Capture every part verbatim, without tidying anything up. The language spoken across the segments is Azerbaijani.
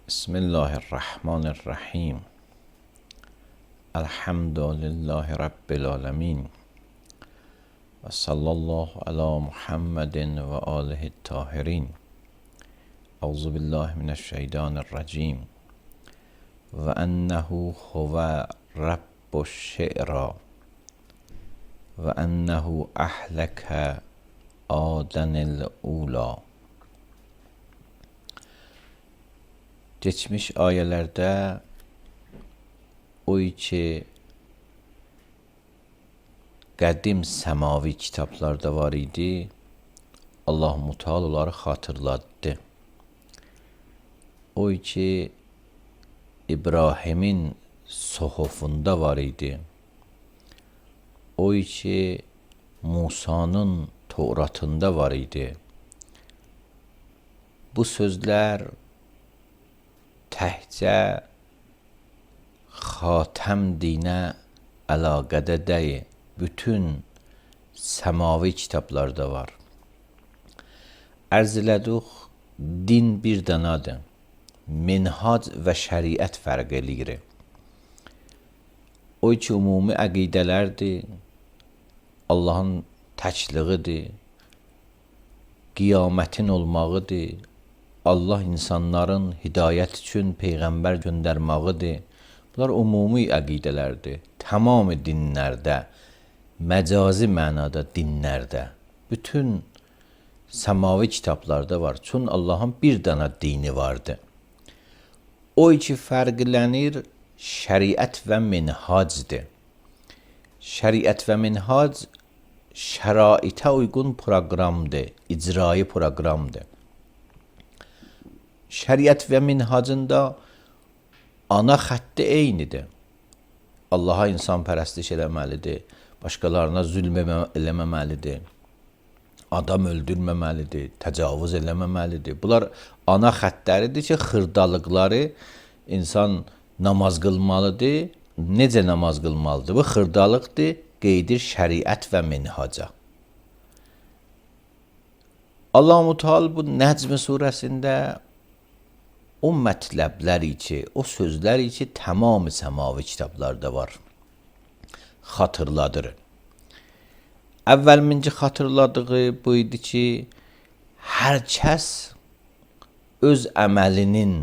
Bismillahirrahmanirrahim. Elhamdülillahi Rabbil alemin. Ve sallallahu ala Muhammedin ve alihi tahirin. Euzubillahimineşşeytanirracim. Ve ennehu huve rabbuş şe'ra. Ve ennehu ahleke adenil ula. Geçmiş ayelerde o ki qədim səmavi kitablarda var idi. Allah Muteala onları xatırladı. O ki İbrahimin sohufunda var idi. O ki Musa'nın Tevratında var idi. Bu sözler təhcə xatəm dinə əlaqədə deyil. Bütün səmavi kitablarda var. Ərz elədik, din bir danadır. Minhac və şəriət fərq eləyir. O ki ümumi əqidələrdir, Allahın təkliğidir, qiyamətin olmağıdır, Allah insanların hidayət üçün Peyğəmbər göndərmağıdır. Bunlar ümumi əqidələrdir. Tamamı dinlərdə, məcazi mənada dinlərdə, bütün səmavi kitablarda var. Çün Allahın bir dana dini vardır. O iki fərqlənir şəriət və minhacdır. Şəriət və minhac şəraitə uyğun proqramdır, icrai proqramdır. Şəriət və minhacında ana xətti eynidir. Allaha insan pərəstiş eləməlidir, başqalarına zülm eləməməlidir, adam öldürməməlidir, təcavüz eləməməlidir. Bunlar ana xəttləridir ki, xırdalıqları insan namaz qılmalıdır. Necə namaz qılmalıdır? Bu xırdalıqdır, qeydir şəriət və minhaca. Allah-u Teala bu Nəcm surəsində o mətləbləri ki, o sözləri ki, tamamı səmavi kitablarda var. Xatırladır. Əvvəlminci xatırladığı bu idi ki, hər kəs öz əməlinin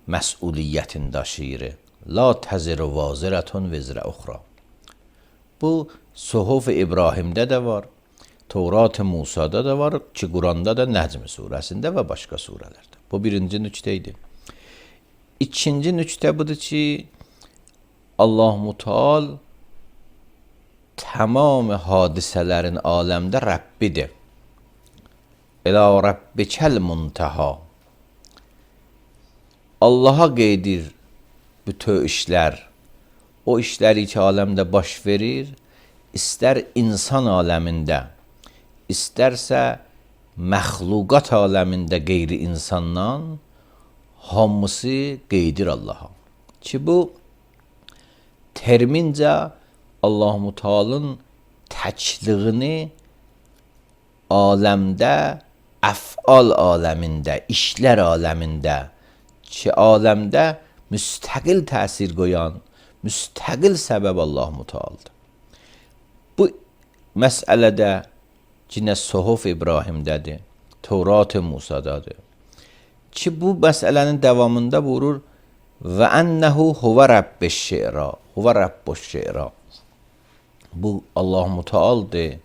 məsuliyyətini daşıyır. La təziru vazirətun vizrə uxra. Bu, Suhuf-i İbrahimdə də var, Tevrat-ı Musa'da da var ki, Quranda da Nəcm surəsində və başqa surələrdə. Bu birinci nüktə idi. İkinci nüktə budur ki, Allah Muteala tamam hadisələrin aləmdə Rəbbidir. Elə Rəbbikəl muntaha. Allaha qeydir bütün işlər. O işləri ki, aləmdə baş verir, istər insan aləmində, istərsə məxluqat aləmində qeyri insandan hamısı qeydir Allaha. Ki bu termincə Allah-u Teala'nın təkliğini aləmdə, əf'al aləmində, işlər aləmində ki, aləmdə müstəqil təsir qoyan, müstəqil səbəb Allah-u Teala'dır. Bu məsələdə Cinə Suhuf İbrahimdədir, Tevrat-ı Musa'dadır. Ki bu məsələnin davamında buyurur və ənəhu huvə rəbbiş şe'ra, huvə rəbbuş şe'ra. Bu Allah-u Teala'dır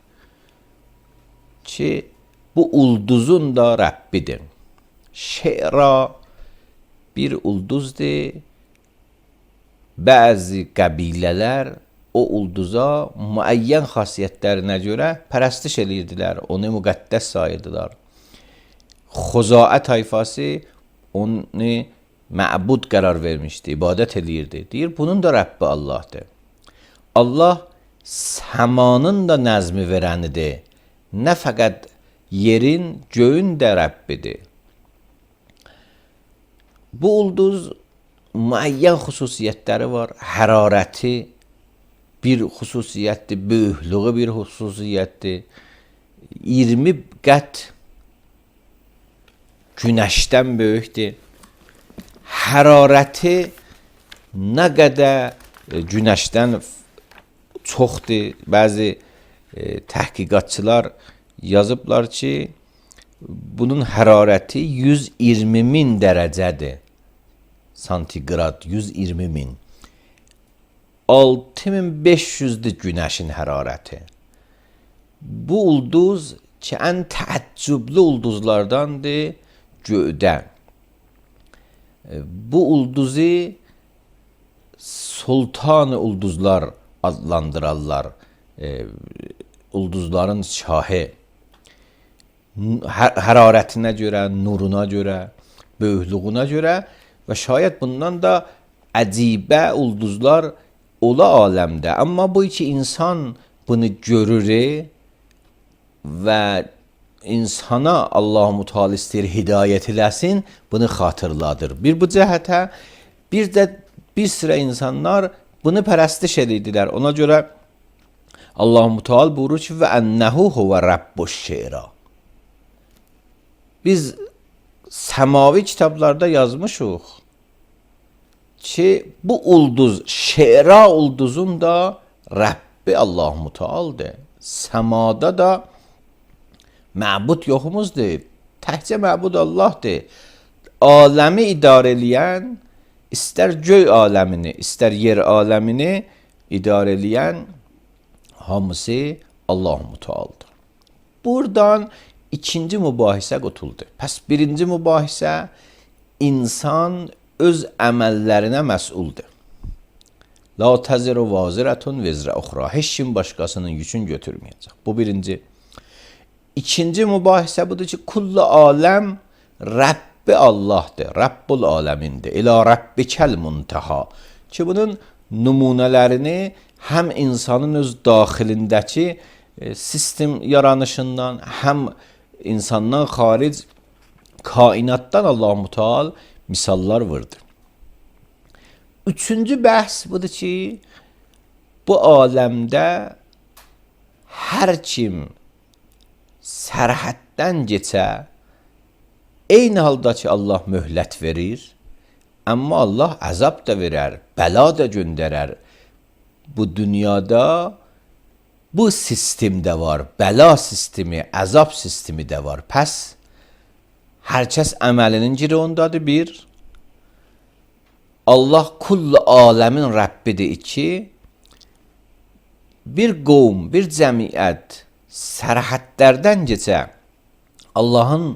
ki, bu ulduzun da Rəbbidir. Şe'ra bir ulduzdur. Bəzi qəbilələr o ulduza müəyyən xasiyyətlərinə görə pərəstiş eləyirdilər, onu müqəddəs sayırdılar. Xuzaə tayfası onu məbud qərar vermişdi, ibadət eləyirdi. Deyir, bunun da Rəbbi Allah'dır. Allah səmanın da nəzmi verənidir. Nə fəqət yerin, göyün də Rəbbidir. Bu ulduz müəyyən xüsusiyyətləri var. Hərarəti bir xüsusiyyətdir, böyüklüğü bir xüsusiyyətdir. iyirmi qət günəşdən böyükdür. hərarəti nə qədər e, günəşdən çoxdur. Bəzi e, təhqiqatçılar yazıblar ki, bunun hərarəti yüz iyirmi min dərəcədir. Santiqrad yüz iyirmi min. altı min beş yüzdür günəşin hərarəti. Bu ulduz ki, ən təəccüblü ulduzlardandır göydə. Bu ulduzu sultan-ı ulduzlar adlandırarlar. E, ulduzların şahı. Hər hərarətinə görə, nuruna görə, böyüklüyünə görə və şayət bundan da əcibə ulduzlar ola aləmdə. Amma bu iki insan bunu görür və insana Allah-u Teala istəyir hidayət eləsin, bunu xatırladır. Bir bu cəhətə, bir də bir sıra insanlar bunu pərəstiş edirdilər. Ona görə Allah-u Teala buyurur ki, və ennəhu huvə rabbuş şeira. Biz səmavi kitablarda yazmışıq ki, bu ulduz, şeira ulduzun da Rəbbi Allah-u Teala'dır. Səmada da məbud yoxumuzdur. Təkcə məbud Allahdır. Aləmi idarə eləyən, istər göy aləmini, istər yer aləmini idarə eləyən hamısı Allah-u Teala'dır. Buradan ikinci mübahisə qutuldu. Pəs birinci mübahisə, insan öz əməllərinə məsuldur. La təziru vazirətun vizrə uxra. Heç kim başqasının yükün götürməyəcək. Bu birinci. İkinci mübahisə budur ki, kullu aləm Rəbbi Allahdır. Rəbbul aləmindir. İlə Rəbbikəl muntaha. Ki bunun nümunələrini həm insanın öz daxilindəki e, sistem yaranışından, həm insandan xaric kainatdan Allah-u Teala misallar vardır. Üçüncü bəhs budur ki, bu aləmdə hər kim sərhəddən keçə, eyni halda ki, Allah möhlət verir, amma Allah əzab da verər, bəla da göndərər. Bu dünyada bu sistemdə var, bəla sistemi, əzab sistemi də var. Pəs, hər kəs əməlinin giri ondadır, bir. Allah kullu aləmin Rəbbidir, iki. Bir qovm, bir cəmiyyət sərhədlərdən keçə, Allahın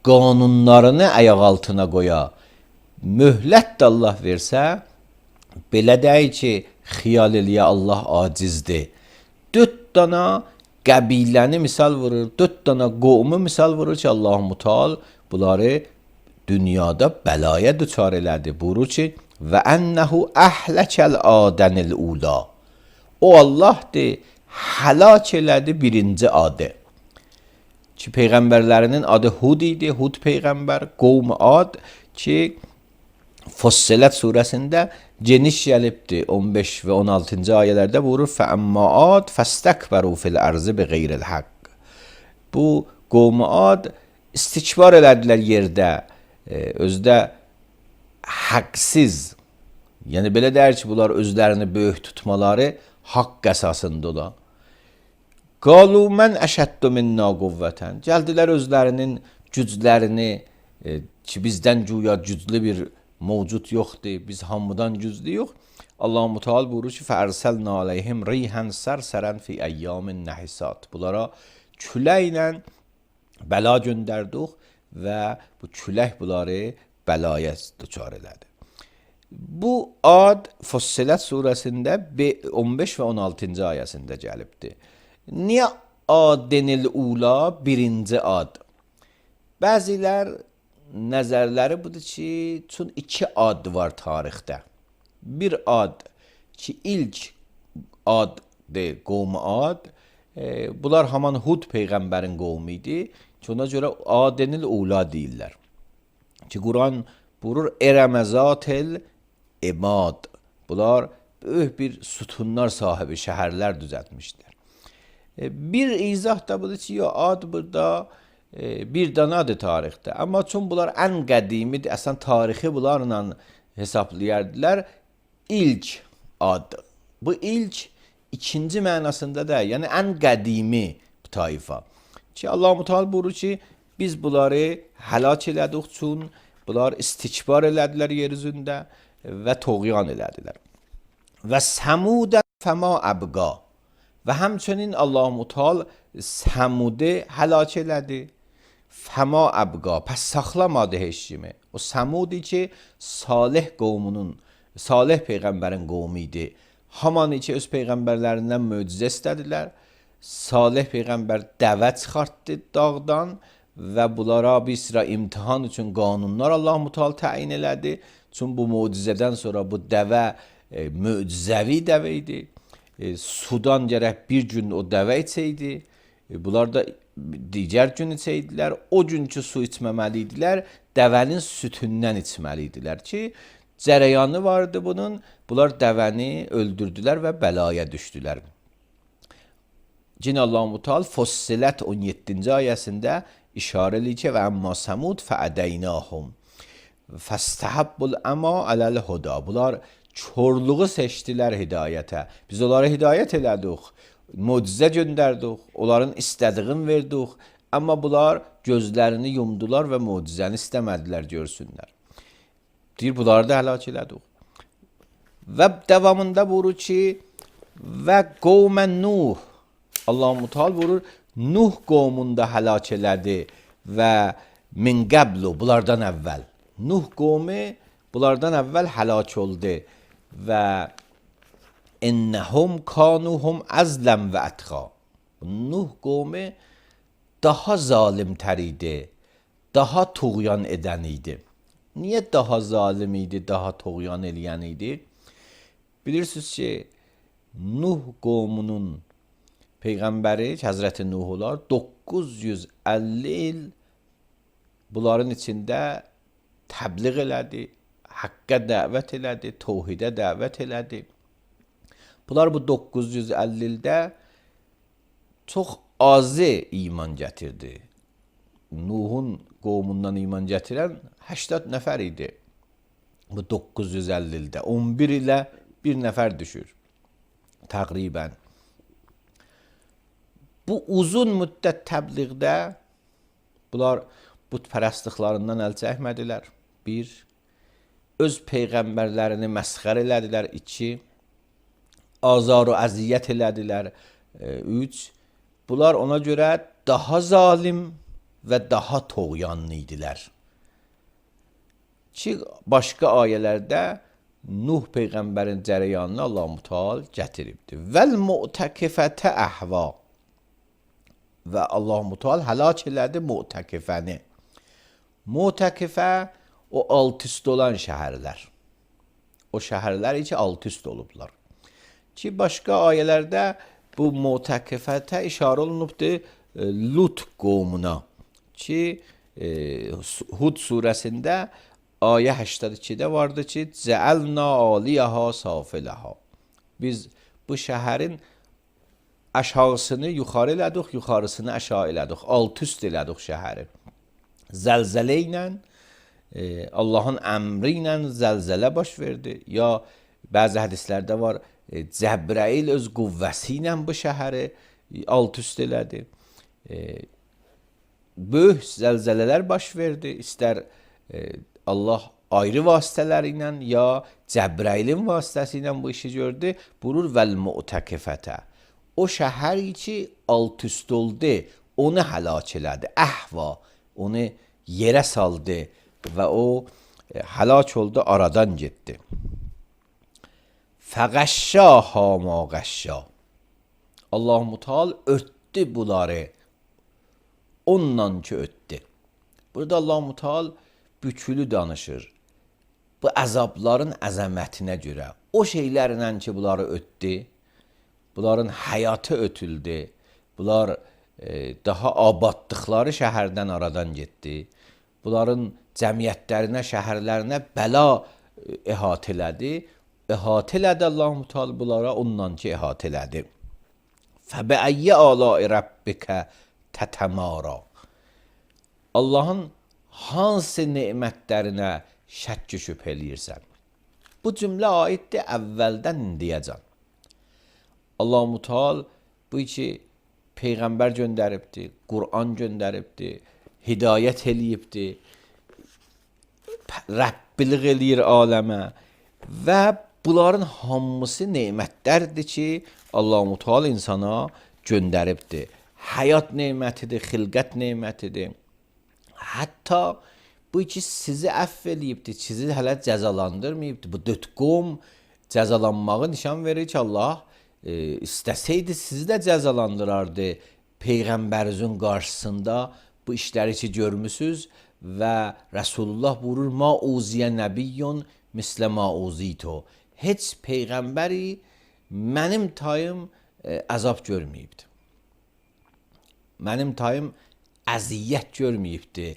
qanunlarını ayaq altına qoya, möhlət də Allah versə, belə deyil ki, xiyal eləyə Allah acizdir. Dörd dana qəbiləni misal vurur, dörd dana qovmu misal vurur ki, Allah-u Teala bunları dünyada bəlaya düçar elədi. Buyurur ki, və ənəhu əhləkəl adənil ula. O Allahdır, həlak elədi birinci adı. Ki, peyğəmbərlərinin adı Hud idi, Hud peyğəmbər, qovm ad ki, Fussilet surəsində geniş gəlibdir. on beş və on altıncı ayələrdə buyurur, fəəmmə ad fəstəkbəru fil ərzi bi qeyril haqq. Bu qovm ad istikbar elədilər yerdə, özdə haqsız, yəni belə deyir ki, bunlar özlərini böyük tutmaları haqq əsasındadır. Qalu mən əşəddu minna quvvətən. Gəldilər özlərinin güclərini e, ki, bizdən güya güclü bir mövcud yoxdur, biz hamıdan güclü yox. Allah-u Teala buyurur ki, fəərsəlnə aleyhim riyhən sərsərən fi əyyamin nəhisat. Bunlara küləklə bəla göndərdik və bu külək bunları bəlaya düçar elədi. Bu ad Fussilet surəsində on beş və on altıncı ayəsində gəlibdir. Niyə adənil ula birinci ad? Bəzilər nəzərləri budur ki, çün iki ad var tarixdə. Bir ad ki, ilk addır, qovm ad. E, bunlar haman Hud peyğəmbərin qovmu idi ki, ona görə adənil ula deyirlər. Ki, Quran buyurur, erəməzatel emad. Bunlar böyük bir sütunlar sahibi şəhərlər düzəltmişlər. Bir izah da budur ki, ya ad burada e, bir danadır tarixdə. Amma çün bunlar ən qədimidir, əslən tarixi bunlarla hesablayardılar. İlk ad. Bu ilk ikinci mənasında da, yəni ən qədimi tayfa. Ki Allah-u Teala buyurur ki, biz bunları həlak elədik çün bunlar istikbar elədilər yer üzündə və toğyan elədilər. Və Səmudə fəma əbqa. Və həmçinin Allah-u Teala Səmudə həlak elədi. Fəma əbqa. Pəs saxlamadı heç kimi. O Səmudi ki, Salih qovmunun, Salih peyğəmbərin qovmu idi. Haman ki, öz peyğəmbərlərindən möcüzə istədilər. Salih peyğəmbər dəvə çıxartdı dağdan və bunlara bir sıra imtihan üçün qanunlar Allah-u Teala təyin elədi. Çünki bu möcüzədən sonra bu dəvə e, möcüzəvi dəvə idi. E, sudan gərək bir gün o dəvə içəydi. E, bunlar da digər gün içəydilər. O günkü su içməməli idilər. Dəvənin sütündən içməli idilər ki, cərəyanı vardı bunun. Bunlar dəvəni öldürdülər və bəlaya düşdülər. Cin Allah-u Teala Fussilət on yeddinci ayəsində işarə edir ki, və əmmə Səmud fəədəynəhum fəstəhabbul əma aləl huda. Bunlar çorluğu seçdilər hidayətə. Biz onlara hidayət elədik, möcüzə göndərdik, onların istədiyini verdik. Amma bunlar gözlərini yumdular və möcüzəni istəmədilər görsünlər. Deyir, bunları da həlak elədik. Və davamında buyurur ki, və qovmən Nuh. Allah-u Teala buyurur, Nuh qovmunda həlak elədi və min qəblu, bunlardan əvvəl. Nuh qovmu bunlardan əvvəl həlak oldu və innəhum kanuhum əzləm və ətqa. Nuh qovmu daha zalimtər idi, daha tuğyan edən idi. Niyə daha zalim idi, daha tuğyan eləyən idi? Bilirsiniz ki, Nuh qovmunun peyğəmbəri Həzrəti Nuh olar, doqquz yüz əlli il bunların içində təbliğ elədi, haqqa dəvət elədi, təvhidə dəvət elədi. Bunlar bu doqquz yüz əlli ildə çox azı iman gətirdi. Nuhun qovmundan iman gətirən səksən nəfər idi. Bu doqquz yüz əlli ildə on bir ilə bir nəfər düşür. Təqribən. Bu uzun müddət təbliğdə bunlar bütpərəstliklərindən əl çəkmədilər. Bir, öz peyğəmbərlərini məsxər elədilər. İki, azar və əziyyət elədilər. Üç, bunlar ona görə daha zalim və daha toğyanlı idilər. Ki, başqa ayələrdə Nuh peyğəmbərin cərəyanını Allah-u Teala gətiribdir. Vəl mu'təkifətə əhva. Və Allah-u Teala həlak elədi mu'təkifəni. Mu'təkifə o alt üst olan şəhərlər. O şəhərlər ki, alt üst olublar. Ki, başqa ayələrdə bu mu'təkifətə işarə olunubdur Lut qovmuna. Ki, e, Hud surəsində ayə səksən ikidə vardı ki, Cəəlna aliyəha safiləhə. Biz bu şəhərin aşağısını yuxarı elədik, yuxarısını aşağı elədik, alt üst elədik şəhəri. Zəlzələ ilə, e, Allahın əmri ilə zəlzələ baş verdi. Ya bəzi hədislərdə var, e, Cəbrəil öz qüvvəsi ilə bu şəhəri alt üst elədi. E, böyük zəlzələlər baş verdi. İstər e, Allah ayrı vasitələri ilə ya Cəbrəilin vasitəsi ilə bu işi gördü. Buyurur vəl mu'təkifətə. O şəhər ki alt üst oldu, onu həlak elədi. Əhva, onu yerə saldı və o e, həlak oldu, aradan getdi. Fəqəşşâhâ mâ qəşşâ. Allah-u Teala örtdü bunları. Ondan ki ötdü. Burada Allah-u Teala bükülü danışır. Bu əzabların əzəmətinə görə. O şeylərlə ki bunları ötdü, bunların həyatı ötüldü. Bunlar e, daha abadlıqları şəhərdən aradan getdi. Bunların cəmiyyətlərinə, şəhərlərinə bəla e, əhatə elədi. Əhatə elədi Allah-u Teala bunlara, ondan ki əhatə elədi. Fəbəəyyə əlâi rəbbikə tətəmara. Allahın hansı nemətlərinə şəkk şübhə eləyirsən? Bu cümlə aiddir əvvəldən indiyəcən. Allah-u Teala bu ki peyğəmbər göndəribdi, Quran göndəribdi, hidayət eləyibdi, Rəbbilik eləyir aləmə və bunların hamısı nemətlərdir ki, Allah-u Teala insana göndəribdi. Həyat nemətidir, xilqət nemətidir. Hətta bu ki sizi əfv eləyibdi, sizi hələ cəzalandırmayıbdı. Bu dörd qovm cəzalanmağı nişan verir ki, Allah e, istəsəydi sizi də cəzalandırardı. Peyğəmbərinizin qarşısında bu işləri ki görmüsünüz və Rasulullah buyurur: "Ma uziyə nəbiyyun mislə ma uzito." Heç peyğəmbəri mənim tayım e, əzab görməyibdi. Mənim tayım əziyyət görməyibdi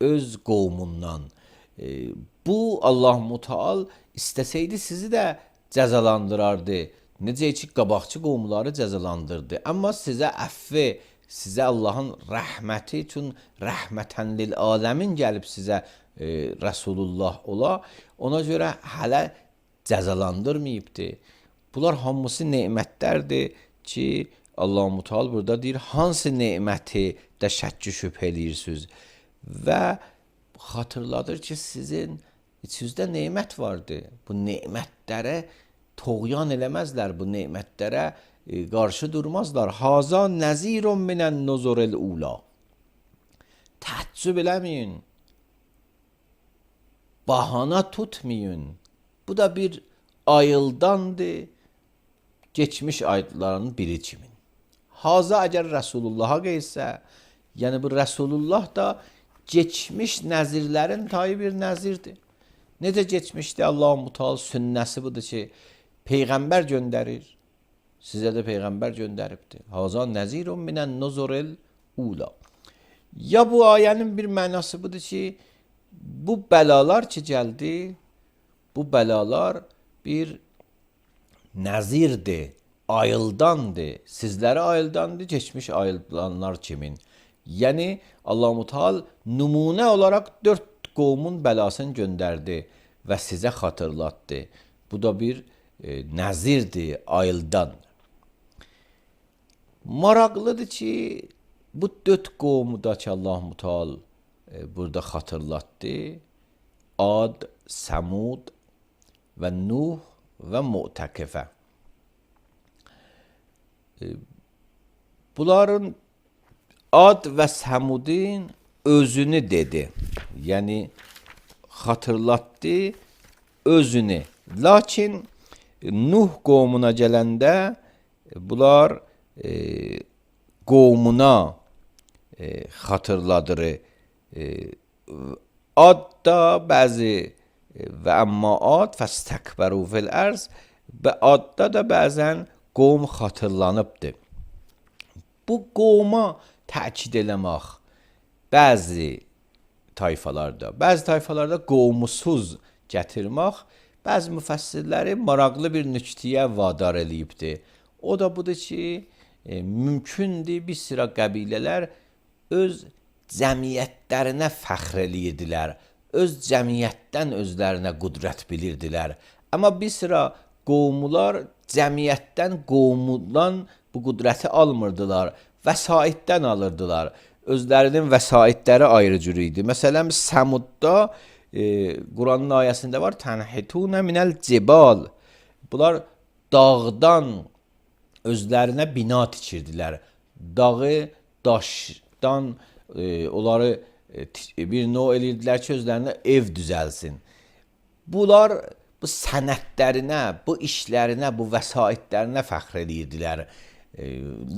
öz qovmundan. E, bu Allah-u Teala istəsəydi sizi də cəzalandırardı. Necə ki qabaqçı qovmları cəzalandırdı. Amma sizə əfvi, sizə Allahın rəhməti üçün rəhmətən lil aləmin gəlib sizə e, Rasulullah ola. Ona görə hələ cəzalandırmayıbdı. Bunlar hamısı nemətlərdir ki, Allah-u Teala burada deyir, hansı neməti də şəkk şübhə eləyirsiniz? Və xatırladır ki, sizin içinizdə nemət vardı. Bu nemətlərə toğyan eləməzlər, bu nemətlərə e, qarşı durmazlar. Haza nəzirun minən nuzuril ula. Təəccüb eləməyin. Bahana tutmayın. Bu da bir ayıldandır, geçmiş ayetlerin biri kimin. Haza əgər Resulullah'a qeysə, yəni bu Resulullah da geçmiş nəzirlərin tayı bir nəzirdir. Necə geçmişdi? Allah-u Teala sünnəsi budur ki, peyğəmbər göndərir. Sizə də peyğəmbər göndəribdir. Haza nəzirun minən nuzuril ula. Ya bu ayənin bir mənası budur ki, bu bəlalar ki gəldi, bu bəlalar bir nəzirdir, ayıldandır. Sizlərə ayıldandır, geçmiş ayıldanlar kimin? Yəni Allah-u Teala nümunə olaraq dörd qovmun bəlasını göndərdi və sizə xatırlatdı. Bu da bir e, nəzirdir, ayıldan. Maraqlıdır ki, bu dörd qovmu da ki Allah-u Teala e, burada xatırlatdı. Ad, Səmud və Nuh və Mu'təkifə. E, bunların Ad və Səmudin özünü dedi. Yəni xatırlatdı özünü. Lakin Nuh qovmuna gələndə bunlar e, qovmuna e, xatırladır. E, Ad da bəzi və əmma ad fəstəkbəru fil ərz, və adda da bəzən qovm xatırlanıbdır. Bu qovma təkid eləmək bəzi tayfalarda, bəzi tayfalarda qovmusuz gətirmək, bəzi müfəssirləri maraqlı bir nüktəyə vadar eləyibdir. O da budur ki, e, mümkündür bir sıra qəbilələr öz cəmiyyətlərinə fəxr eləyirdilər, öz cəmiyyətdən özlərinə qüdrət bilirdilər. Amma bir sıra qovmular cəmiyyətdən, qovmundan bu qüdrəti almırdılar, vəsaitdən alırdılar. Özlərinin vəsaitləri ayrı cür idi. Məsələn, Səmudda e, Quranın ayəsində var, tənhitunə minəl cibal. Bunlar dağdan özlərinə bina tikirdilər. Dağı daşdan e, onları e, bir növ eləyirdilər ki, özlərinə ev düzəlsin. Bunlar bu sənətlərinə, bu işlərinə, bu vəsaitlərinə fəxr eləyirdilər. E,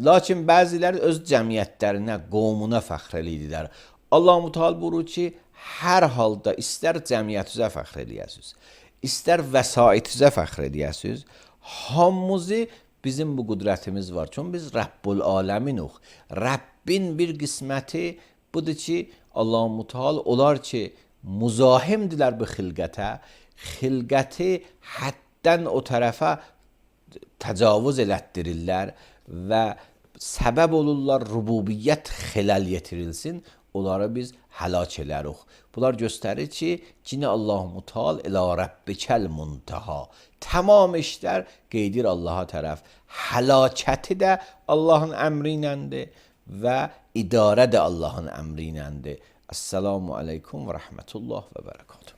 lakin bəziləri öz cəmiyyətlərinə, qovmuna fəxr eləyirdilər. Allah-u Teala buyurur ki, hər halda istər cəmiyyətinizə fəxr eləyəsiniz, istər vəsaitinizə fəxr eləyəsiniz, hamımızı bizim bu qüdrətimiz var. Çünki biz Rəbbul aləminuq. Rəbbin bir qisməti budur ki, Allah-u Teala onlar ki, muzahimdirlər bu xilqətə, xilqəti həddən o tərəfə təcavüz elətdirirlər və səbəb olurlar rububiyyət xilal yetirilsin. onları biz həlak edərik. Bunlar göstərir ki, yine Allah Mutal ilə Rabbikəl muntaha. Tamam işlər qeydir Allaha tərəf. Həlakəti də Allahın əmri iləndir və idarə də Allahın əmri iləndir. Esselamu aleykum və rəhmətullah və bərəkatuhu.